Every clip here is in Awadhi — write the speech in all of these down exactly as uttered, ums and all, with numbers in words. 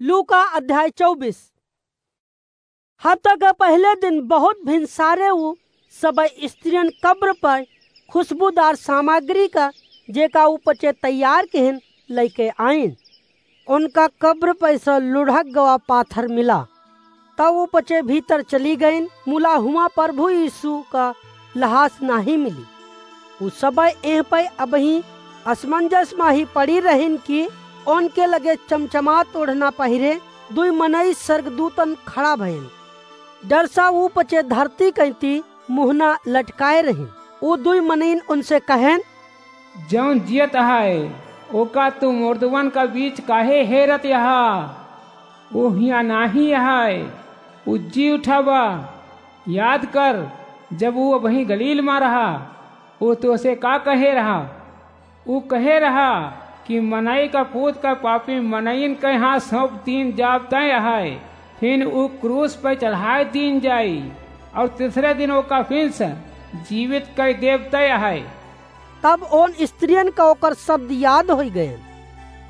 लूका अध्याय चउबीस। हफ्ता का पहिले दिन बहुत भिनसारे उ सबइ स्त्रियन कब्र पर खुशबूदार सामग्री का, जेका उ पचे तैयार किहिन, लइके आइन। उनका कब्र पर से लुढ़क गवा पाथर मिला। तब उ पचे भीतर चली गइन, मुला हुआँ प्रभु यीशु का लहास नाहीं मिली। उ सबइ एह पइ अबहीं असमंजस मा ही पड़ी रहिन कि उनके लगे चमचमात ओढ़ना पहिरे दुइ मनई स्वर्गदूतन खड़ा भइन। डर सा उ पचे धरती कइती मुहना लटकाए रहिन। उ दुइ मनइन उनसे कहेन, जउन जियत अहइ, ओका तू मुर्दवन का बीच काहे हेरत अहा? उ हियाँ नाहीं अहइ, उ जी उठा बा। याद कर, जब उ अबहीं गलील मा रहा, उ तोसे का कहे रहा? उ कहे रहा कि मनई का पूत का पापी मनइन के हाथ सौंप दीन जाब तय अहइ, फिन उ क्रूस पर चढ़ाए दीन जाई, अउर तीसरे दिन ओका फिन से जीवित कइ देब तय अहइ। तब ओन स्त्रियन का ओकर शब्द याद होइ गयन।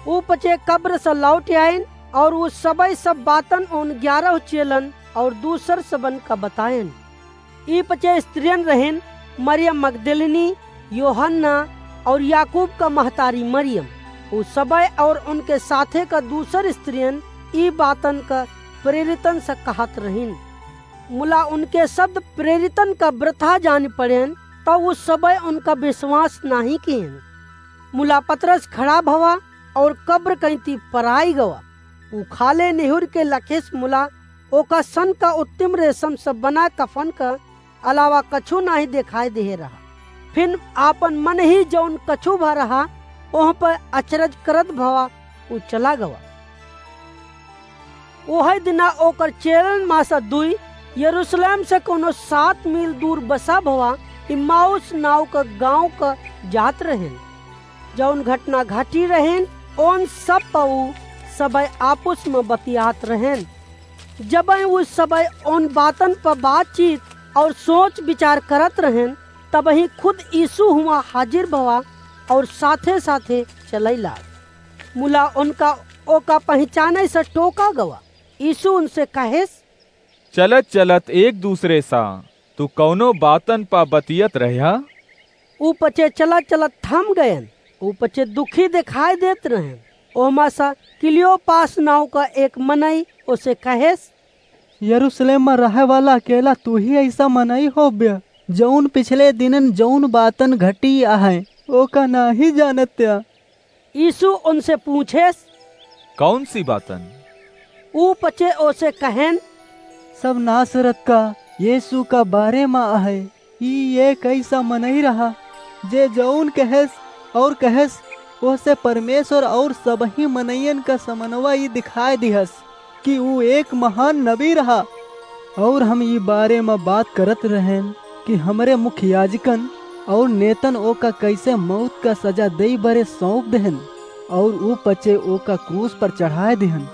उ पचे कब्र से लौट आइन, अउर उ सबइ सब बातन ओन ग्यारह चेलन अउर दूसर सबन का बतायन। ई पचे स्त्रियन रहिन, मरियम मगदलिनी, योहन्ना अउर याकूब का महतारी मरियम। उ सबइ अउर उनके साथे का दूसर स्त्रियन ई बातन का प्रेरितन से कहत रहिन। मुला उनके शब्द प्रेरितन का वृथा जान पड़ेन, तब उ सबइ उनका विश्वास नाहीं किहिन। मुला पतरस खड़ा भवा अउर कब्र कइती पराई गवा। उ खाले निहुर के लखेस मुला ओका सन का उत्तम रेशम से बना कफन का अलावा कछु नाहीं देखाई देहे रहा। फिन आपन मन ही जउन कछु भा रहा, ओह पर अचरज करत भवा उ चला गवा। ओहइ दिना ओकर चेलन मा से दुइ यरूशलेम से कउनो सात मील दूर बसा भवा इम्माउस नाव का गाँव का जात रहेन। जउन घटना घटी रहेन, ओन सब प उ सबइ आपुस मा बतियात रहेन। जबइ उ सबइ ओन बातन प बातचीत अउर सोच विचार करत रहेन, तबहीं खुद यीशु हुआँ हाजिर भवा अउर साथे साथे चलइ लाग। मुला उनका ओका पहिचानइ से टोका गवा। यीशु उनसे कहेस, चलत चलत एक दूसरे सा तू कउनो बातन प बतियत रह्या? उ पचे चलत चलत थम गयन। उ पचे दुखी देखाई देत रहेन। ओहमा सा क्लियोपास नाव का एक मनई ओसे कहेस, यरूशलेम मा रहइ वाला अकेला तू ही अइसा मनई होब्या, जउन पिछले दिनन जउन बातन घटी अहइ, ओका नाहीं जानत्या। यीशु उनसे पूछेस, कउन सी बातन? उ पचे ओसे कहेन, सब नासरत का यीशु का बारे मा अहइ। ई एक अइसा मनई रहा, जे जउन कहेस अउर कहेस, ओहसे परमेश्वर अउर सबही मनइयन का समनवा ई दिखाइ दिहस कि ऊ एक महान नबी रहा। अउर हम ई बारे मा बात करत रहेन कि हमरे मुख्य याजकन अउर नेतन ओका कइसे मउत का सजा देइ बरे सौंप देहेन, अउर ऊ पचे ओका क्रूस पर चढ़ाइ देहेन।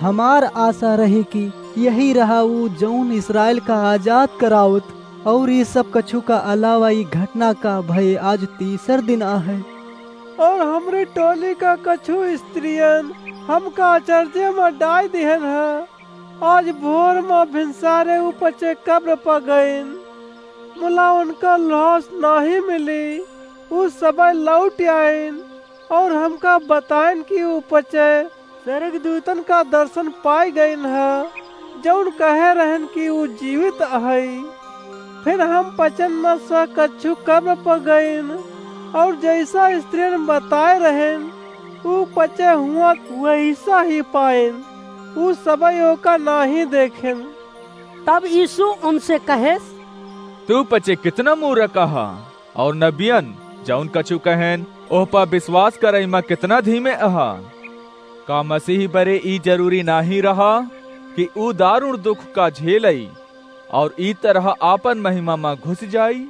हमार आसा रही कि यही रहा ऊ जउन इस्राएल का आजाद करावत, अउर ई सब कछु का अलावा ई घटना का भय आज तीसर दिन आहे। अउर हमरी टोली का कछु स्त्रियन हमका अचरजे मा डाइ दिहेन ह। आज भोर मा भिनसारे ऊ पचे कब्र प गइन, मुला उनका लास नाहीं मिली। ऊ सबइ लौटि आइन अउर हमका बताइन कि ऊ पचे स्वर्गदूतन का दर्शन पाइ गइन ह, जउन कहे रहेन कि ऊ जीवित अहइ। फिर हम पचन मा स कछु कब्र प गइन, अउर जइसा स्त्रियन बताए रहेन, ऊ पचे हुआँ वइसा ही पाइन। ऊ सबइ ओका नाहीं देखेन। तब यीशु उनसे कहेस, तू पचे कितना मूरख अहा, अउर नबियन जउन कछु कहेन, ओह प विश्वास करइ मा कितना धीमे अहा। का मसीह बरे ई जरूरी नाहीं रहा कि ऊ दारुण दुख का झेलइ, अउर ई तरह आपन महिमा मा घुस जाई?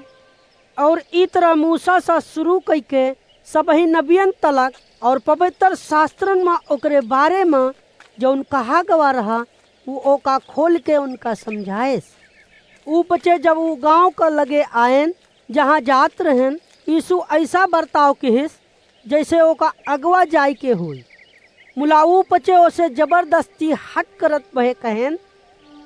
अउर ई तरह मूसा स सुरू कइके सबही नबियन तलक अउर पबित्र सास्त्रन मा ओकरे बारे मा जउन कहा गवा रहा, ऊ ओका खोल के उनका समझाएस। ऊ पचे जब ऊ गाँव का लगे आएन, जहाँ जात रहेन, यीशु अइसा बर्ताव किहिस, जइसे ओका अगवा जाइ के होई। मुला ऊ पचे ओसे जबरदस्ती हठ करत भए कहेन,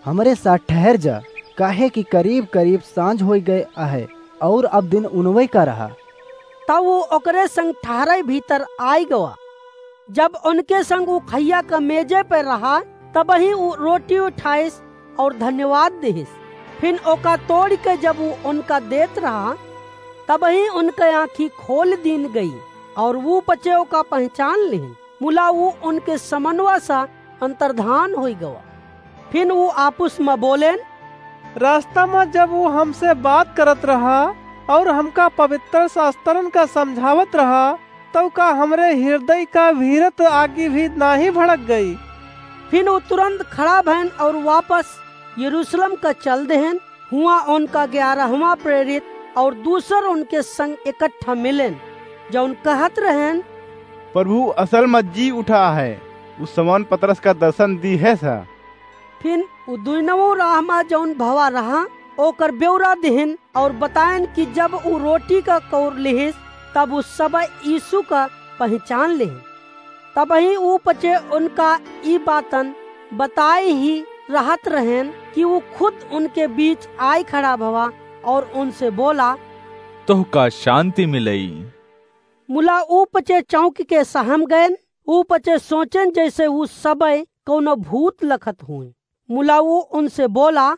"हमरे साथ ठहर जा, काहे कि करीब-करीब साँझ होइ गए आहे, और अब दिन उनवइ का रहा।" तब ऊ ओकरे संग ठहरइ भीतर आइ गवा। जब उनके संग ऊ खइया क मेजे पे रहा, तबहीं ऊ रोटी उठाइस और धन्यवाद दिहिस। फिन ओका तोड़िके जब ऊ उनका देत रहा, तबहीं उनके आँखी खोल दीन गई और ऊ पचे ओका पहिचान लिहिन। मुला ऊ उनके समनवा सा अंतर्धान होइ गवा। फिन ऊ आपुस म बोलेन, "रास्ता म जब ऊ हमसे बात करत रहा और हमका पवित्र शास्त्रन का समझावत रहा, तब का हमरे हिरदय का भीरत आगी भी नाहीं भड़क गई?" फिन ऊ तुरंत खड़ा भएन और वापस यरूशलेम का चल देहेन। हुआँ उनका ग्यारहवाँ प्रेरित और दूसर उनके संग इकट्ठा मिलेन, जउन कहत रहेन, "प्रभु असल म जी उठा है, ऊ शमौन पतरस का दर्शन दिहेस ह।" फिन ऊ दुइनवों राह म जउन भवा रहा, ओकर ब्यौरा दिहिन और बताएन कि जब ऊ रोटी का कौर लिहिस, तब ऊ सबइ यीशु का पहिचान लिहिन। तबहीं ऊ पचे उनका ई बातन बताइ ही रहत रहेन कि ऊ खुद उनके बीच आइ खड़ा भवा और उनसे बोला, "तोहका शांति मिलई।" मुला ऊ पचे चौंकिके सहम गएन। ऊ पचे सोचेन जइसे ऊ सबइ कउनो भूत लखत हुइँ। मुला ऊ उनसे बोला,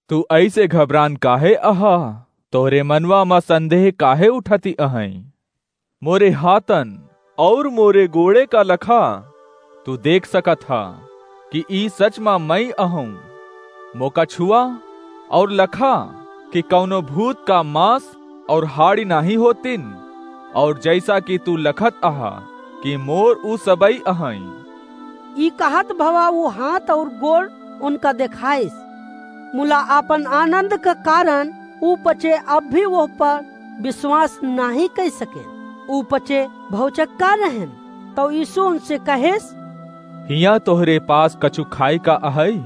"तू अइसे घबरान काहे अहा? तोहरे मनवा म संदेह काहे उठति अहइँ? मोरे हाथन और मोरे गोड़े का लखा तू देख सकत हा कि ई सच म मई अहउँ। मोका छुआ और लखा कि कउनो भूत का मांस और हाड़ी नाहीं होतिन, और जइसा कि तू लखत अहा कि मोर ऊ सबई अहइँ।" ई कहत भवा ऊ हाथ और गोड़ उनका देखाइस। मुला आपन आनंद का कारण ऊ पचे अब भी ओह पर विश्वास नाहीं कइ सकेन। ऊ पचे भौचक्का रहेन। तउ यीशु उनसे कहेस, "हियाँ तोहरे पास कछु खाए का अहइ?"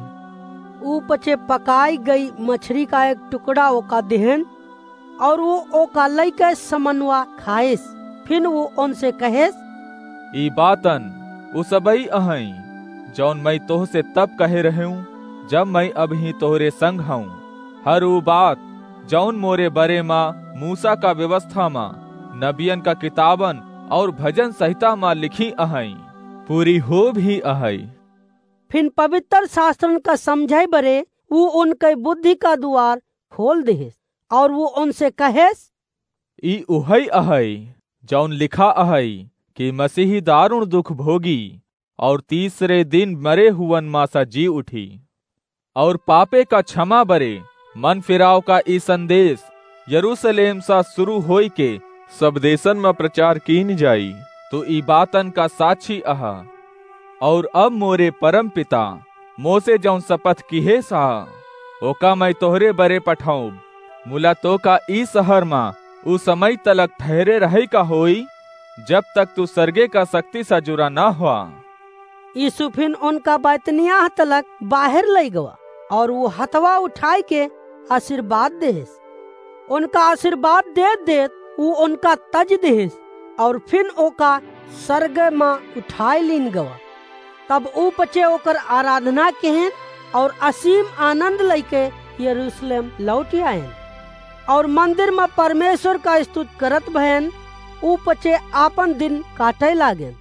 ऊ पचे पकाई गई मछरी का एक टुकड़ा ओका दिहेन, और ऊ ओका लइके समनवा खाइस। फिन ऊ उनसे कहेस, "ई बातन ऊ सबई अहइँ, जउन मई तोहसे तब कहे रहेउँ, जब मई अबहीं तोहरे संग हउँ। हर ऊ बात, जउन मोरे बरे म मूसा का व्यवस्था म, नबियन का किताबन और भजन संहिता म लिखी अहइँ, पूरी हो भी अहइ।" फिन पवित्र शास्त्रन का समझइ बरे ऊ उनके बुद्धि का दुआर खोल दिहिस, और ऊ उनसे कहेस, "ई उहइ अहइ, जउन लिखा अहइ कि मसीही दारुण दुख भोगी और तीसरे दिन मरे हुवन म स जी उठी, और पापे का क्षमा बरे मन फिराव का ई संदेश यरूशलेम स शुरू होइके सब देशन म प्रचार कीन जाई। तू ई बातन का साक्षी अहा। और अब मोरे परम पिता मोसे जउन शपथ किहेस ह, ओका मई तोहरे बरे पठउब। मुला तोका ई शहर म ऊ समय तलक ठहरे रहइ का होई, जब तक तू सरगे का शक्ति स जुरा न हुआ। यीशु फिन उनका बैतनियाह तलक बाहेर लइ गवा, और ऊ हथवा उठाइके आशीर्वाद देहेस। उनका आशीर्वाद देत देत ऊ उनका तज देहेस, और फिन ओका सरग म उठाइ लीन गवा। तब ऊ पचे ओकर आराधना किहेन, और असीम आनंद लइके यरूशलेम लौटि आएन, और मंदिर म परमेश्वर का स्तुत करत भएन। ऊ पचे आपन दिन काटइ लागेन।